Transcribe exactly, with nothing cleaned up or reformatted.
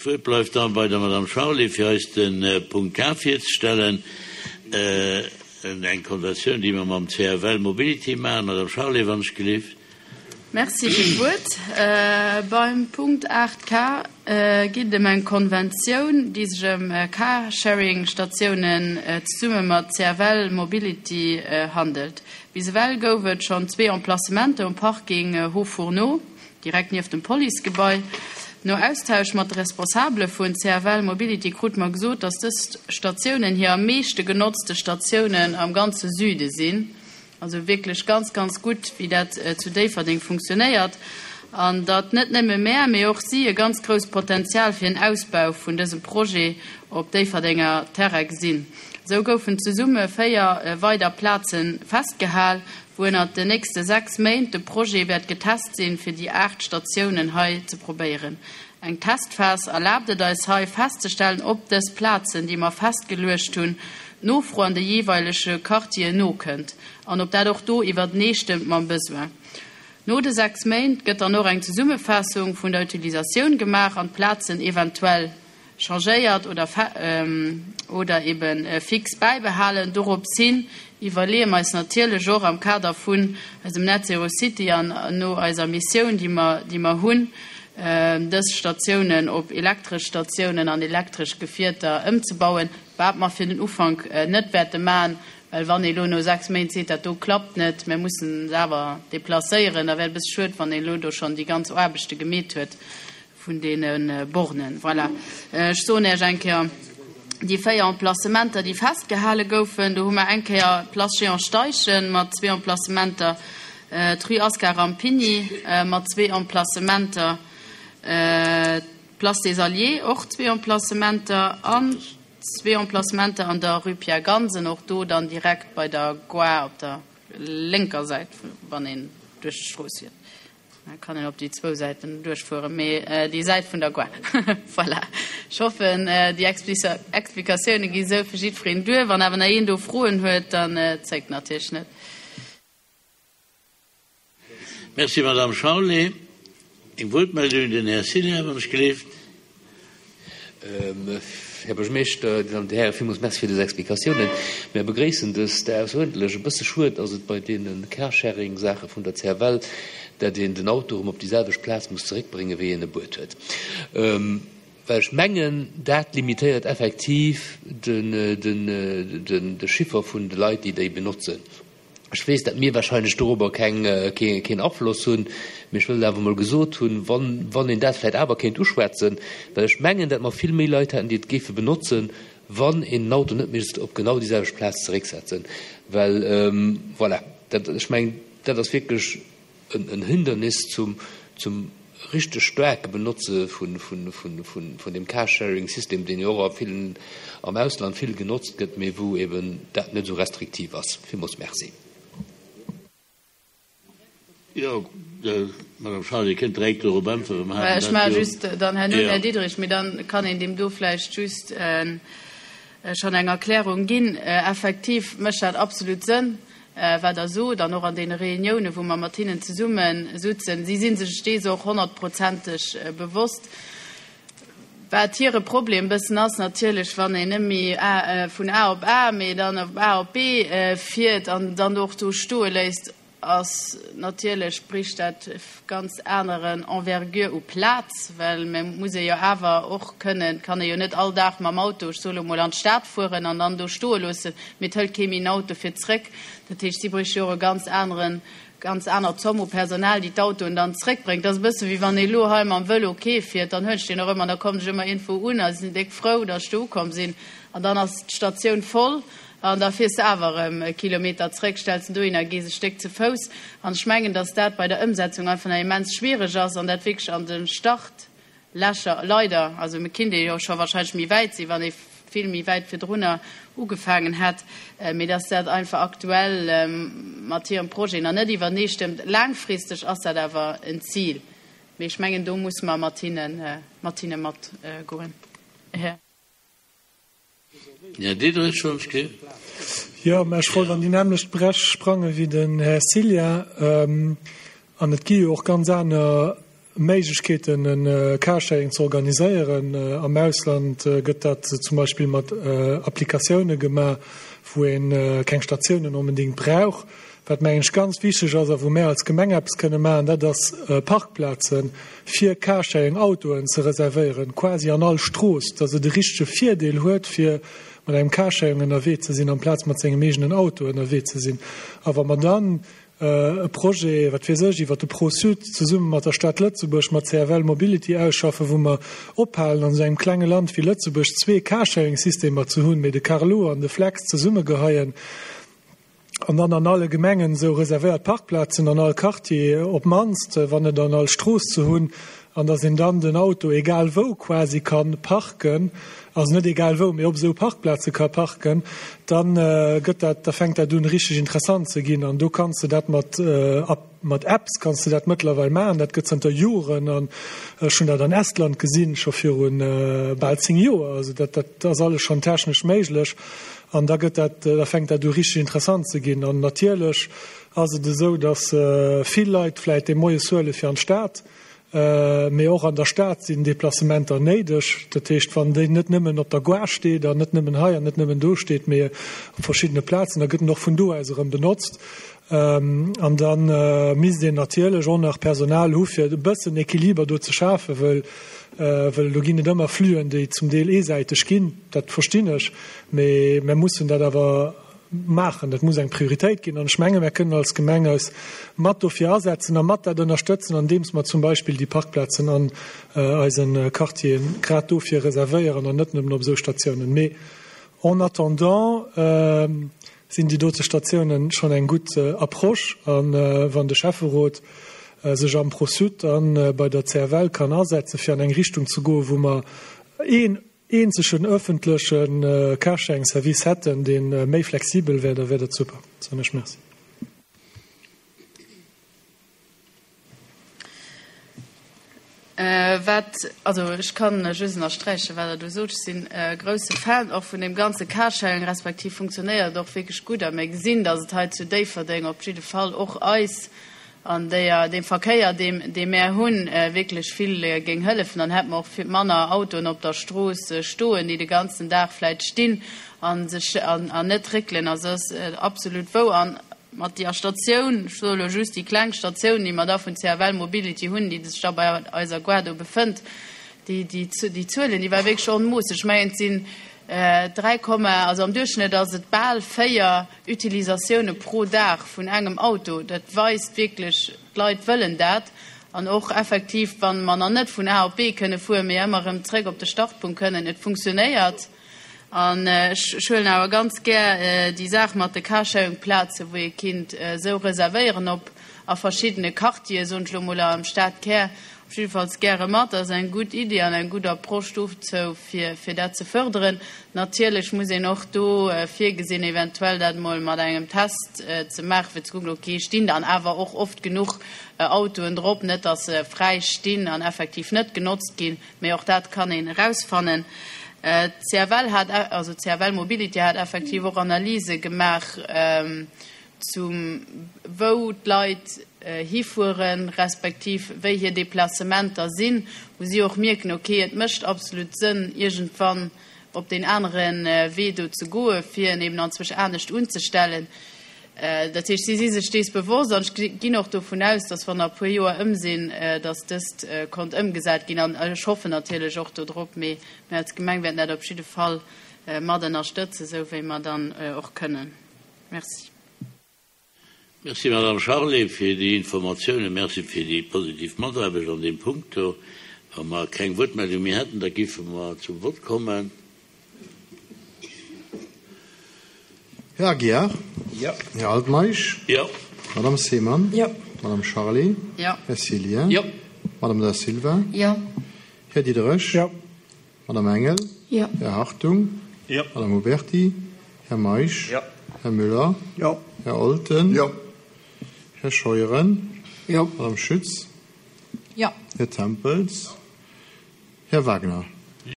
D'Wuert bleift da bei der Madame Charlé, fir eis de Punkt K virzestellen, eng Konventioun, déi mer mam C F L Mobility maachen. Madame Charlé, wann ech gelift. Merci fir d'Wuert. Beim Punkt aacht K geet et ëm eng Konventioun, déi sech ëm Carsharing-Statiounen zesumme mat C F L Mobility handelt. Bis ewell gouf et schonn zwee Emplacementer um Parking Haut-Fourneau, direkt nieft dem Policegebai. No Austausch mat de Responsabele vun C F L Mobility krute mer gesot, datt dës Statiounen hir am meeschte genotzte Statiounen am ganze Süde sinn. Also wierklech ganz, ganz gutt, wéi dat zu Déifferdeng funktionéiert. An datt net nëmme mär, mee och si e ganz grousst Potenzial fir en Ausbau vun dësem Projet op Déifferdenger Terrain gesinn. Esou goufen zesumme véier weider Plaze festgehal, wou ënnert den nächste sechs Méint de Projet wäert getest sinn, fir déi aacht Statiounen hei ze probéieren. Eng Testphas erlaabt et eis hei festzestellen, ob dës Plazen, déi mer festgeluecht hunn, d'Nofro an de jeeweilege Quartieren nokënnt an ob dat och do iwwereenstëmmt mam Besoin. No de sechs Méint gëtt dann och eng Zesummefaassung vun der Utilisatioun gemaach an d'Plazen eventuell changéiert oder oder ebe fix bäibehalen. Dorops hin iwwerleeë mer eis natierlech och am Kader vun eisem Net Zero City an no eiser Missioun, déi mer déi mer hunn, dës Statiounen op elektresch Statiounen an elektresch Gefierter ëmzebauen, wat mer fir den Ufank net wäerte maachen, well wann ee lo no sechs Méint seet, dat do klappt net, mir mussen se awer deplacéieren, da wär et e bësse schued, wann ee lo do schonn déi ganz Aarbechte gemeet huet vun deene Bornen. Voilà. Ech soen Iech eng Kéier déi véier Emplacementer, déi festgehale goufen. Do hu mer eng Kéier d'Place Jehan Steichen mat zwee Emplacementer, d'Rue Ascar Rampini mat zwee Emplacementer, d'Place des Alliés och zwee Emplacementer an zwee Emplacementer an der Rue Pierre Gansen, och do dann direkt bei der Gare op der lénker Säit, wann een duerch d'Strooss fiert. Da kann een op déi zwou Säiten duerchfueren, mee déi Säit vun der Gare. Voilà. Ech hoffen, déi Explikatioune gi sou fir jiddwereen duer. Wann awer nach een do Froen huet, dann zéckt natierlech net. Merci, Madame Charlé. Eng Wuertmeldung, den Här Cillien, wann ech gelift. Här Buergermeeschter, Dir Dammen an Dir Hären, villmools Merci fir dës Explikatiounen. Mir begréissen dëst ausseruerdentlech. E bësse schued ass et bei deene Carsharing-Saache vun der C F L, dat een den Auto erëm op déi selwecht Plaz muss zeréckbréngen, wéi een e bruet huet. Well ech mengen, dat limitéiert effektiv de Chiffer vun de Leit, déi déi benotzen. Ech weess, dat mir wahrscheinlech dorobber keng, keen Afloss hunn, mee ech wëll awer emol gesot hunn, wann, wann een dat vläicht awer kéint uschwätzen, well ech mengen, dat mer vill méi Leit hätten, déi et géife benotzen, wann een den Auto net misst op genau déi selwecht Plaz zerécksetzen. Well, voilà, dat, ech mengen, dat ass wierklech en, en Hindernis zum, zum richteg staarke Benotze vun, vun, vun, vun, vun dem Carsharing-System, deen jo och a villen, am Ausland vill genotzt gëtt, mee wou eben dat net esou restriktiv ass. Villmools Merci. Jo, Madame Charlé, Dir kënnt direkt dorop äntweren. Mer haten Ech dat maache jo. Just dann herno, Jo. Här Diderich, mee dann kann een deem do vläicht just schonn eng Erklärung ginn. Effektiv mécht dat absolut Sënn, wat Der sot, an och an deene Reuniounen, wou mer mat hinnen zesumme sutzen. Si si sech dees och honnertprozenteg bewosst. Wat hire Problem bëssen ass natierlech, wann een net méi vun A op A, mee dann op A op B fiert an dann och do stoe léisst, ass natierlech bricht dat ganz aneren Envergure u Plaz, well mir muss ee jo awer och kënnen, kann ee jo net all Dag mam Auto, ech soe lo mol, an d'Stad fueren an dann do stoe loossen, mee et hëlt kee méi en Auto fir zréck. Dat heescht, si bréiche jo och e ganz aneren, ganz aner Zomm u Personal, déi d'Autoen dann zréckbréngt. Dat ass e bësse wéi wann ee lo hei mam Vëlo kee fiert, dann huelen ech deen och ëmmer an da kommen ech ëmmer iergendwou un a sinn déck frou, datt ech do ukomm sinn an dann ass d'Statioun voll. An da fiers de awer erëm e Kilometer zréck, stells en dohinner a gees e Stéck ze Fouss. An ech mengen, datt dat bei der Ëmsetzung einfach nach immens schwiereg ass an dat wierklech an de Startlächer, leider, also mir kinnt ee jo scho wahrscheinlech méi wäit sinn, wann ee vill méi wäit virdrunner ugefaangen hätt, mee datt dat einfach aktuell mat hirem Projet nach net iwwerneestëmmt. Laangfristeg ass dat awer en Zil, mee ech mengen, do musse mer mat hinne, mat hinne matgoen. Här. Här Diderich, Schonski. Jo, mä ech wollt an déi nämmlecht Bréch sprange wéi den Här Cillien. An et gi jo och ganz aner Méiglechkeeten, e Carsharing ze organiséieren. Am Ausland gëtt dat zum Beispill mat Applikatioune gemaach, wou ee keng Statiounen onbedéngt brauch. Wat, mengen ech, ganz wichteg ass a wou mär als Gemeng eppes kënne maachen, dat ass Parkplaze fir Carsharing-Autoen ze reservéieren, quasi an all Strooss, dass et e richtege Virdeel huet, fir mat engem Carsharing ënnerwee ze sinn, amplaz mat sengem eegenen Auto ënnerwee ze sinn. A wa mer dann e Projet, wat weess ech, iwwer de Pro-Sud zesumme mat der Stad Lëtzebuerg, mat C F L Mobility ausschaffen, wou mer ophalen, an esou engem klenge Land wéi Lëtzebuerg zwee Carsharing-Systemer ze hunn, mee de Carlo an de Flex zesummegeheien an dann an alle Gemengen esou reservéiert Parkplazen an all Quartier op d'mannst, wann net an all Strooss ze hunn, an dass een dann den Auto egal wou quasi ka parken, also net egal wou, mee op esou Parkplaze ka parken, da gëtt dat, da fänkt dat un richteg interessant ze ginn. An do kanns de dat mat, mat Apps kanns de dat mëttlerweil maachen. Dat gëtt zënter Joren an ech hunn dat an Estland gesinn, scho viru bal zéng Joer. Also dat, dat ass alles schonn technesch méiglech. An da gëtt dat, da fänkt dat u richteg interessant ze ginn. An natierlech ass et esou, dass vill Leit vläicht dee Moies huele fir an d'Stad, Mee och an der Stad sinn Deplacementer néideg. Dat heescht, wann déi net nëmmen op der Gare steet an net nëmmen hei an net nëmmen do steet, mee op verschiddene Plazen, da gëtt en och vun do aus erëm benotzt. An da misst een natierlech och nach Personal hu fir e bëssen Equiliber do ze schafen, wëll wëll do ginn et ëmmer Fluen, déi zum Deel eesäiteg ginn. Dat verstinn ech, mee mir mussen dat awer maachen. Dat muss eng Prioritéit ginn. An ech menge mir kënnen als Gemeng eis mat dofir asetzen a mat dat ënnerstëtzen, andeems mer zum Beispill déi Parkplazen an eise Quartieren grad dofir reservéieren an net nëmmen op esou Statiounen. Mee en attendant sinn déi dote Statiounen schonn eng gutt Approche. A wann de Schäfferot sech am ProSud a bei der C F L kann asetzen, fir an eng Richtung ze goen, wou mer een eenzegen öffentleche Carsharing-Service hätten, dee méi flexibel wär, da wär dat super. Soen ech Merci. Wat, also ech kann just ënnersträichen, wat Der do sot. Ech sinn e grousse Fan och vun deem ganze Carsharing, respektiv funktionéiert och wierklech gutt. A mir gesinn, datt et hei zu Déifferdeng op jidde Fall och eis an déier, deem Verkéier, deem, dee mär hunn, wierklech vill géing hëllefen. Dann hätt mer och vill manner Autoen op der Strooss stoen, déi de ganzen Dag vläicht stinn a sech an, an net réckelen. Also ass absolut wou. An mat déier Statioun, ech soe elo just déi kleng Statioun, déi mer da vun C F L Mobility hunn, déi sech da bei eiser Gare do befënnt, déi, déi, déi Zuelen, déi war wierklech onmoosseg. Ech mengen, et sinn dräi Komma, also am Duerchschnëtt ass et bal véier Utilisatioune pro Dag vun engem Auto. Dat weist wierklech, d'Leit wëllen dat. An och effektiv, wann mer nach net vun A op B kënne fueren, mee ëmmer erëm zréck op de Startpunkt kënnen, et funktionéiert. An ech huelen awer ganz gär déi Saach mat de Carsharing-Plazen, wou ee kinnt esou reservéieren op a verschiddene Quartieren, soen ech elo mol am Stadkär, op jiddefalls gäre mat. Dat ass eng gutt Iddi an eng gutt Approche dozou, fir, fir dat ze fërderen. Natierlech muss een och do virgesinn, eventuell dat mol mat engem Test ze maachen, fir ze kucken, okay, stinn dann awer och oft genuch Autoen drop, net dass se fräi stinn an effektiv net genotzt ginn, mee och dat kann een erausfannen. C F L hat, also C F L Mobility hat effektiv och Analyse gemaach, zum wou d'Leit hifueren, respektiv wéi hir Deplacementer sinn, wou si och mierken, okay, et mécht absolut Sënn, iergendwann op den aneren Wee do ze goen, fir en eben anzwousch anescht unzestellen. Dat heescht, si si sech dees bewosst an ech ginn och dovun aus, dass wann nach e puer Joer ëm sinn, dass dëst konnt ëmgesat ginn. An ech hoffen natierlech och dodrop, mee mir als Gemeng wäerten dat op jidde Fall mat ënnerstëtzen, esou wéi mer dann och kënnen. Merci. Merci, Madame Charlé, fir déi Informatiounen. Merci fir déi positiv Mataarbecht an deem Punkt do. Wa mer keng Wuertmeldung méi hätten, da géife mer zum Vott kommen. Här Aguiar? Ja. Här Altmeisch? Ja. Madame Seemann? Ja. Madame Charlé? Ja. Här Cillien? Ja. Madame Da Silva? Ja. Här Diderich? Ja. Madame Engel? Ja. Här Hartung? Ja. Madame Huberti? Här Meisch? Ja. Här Müller? Ja. Här Olten? Ja. Här Scheuren? Ja. Madame Schütz? Ja. Här Tempels? Här Wagner?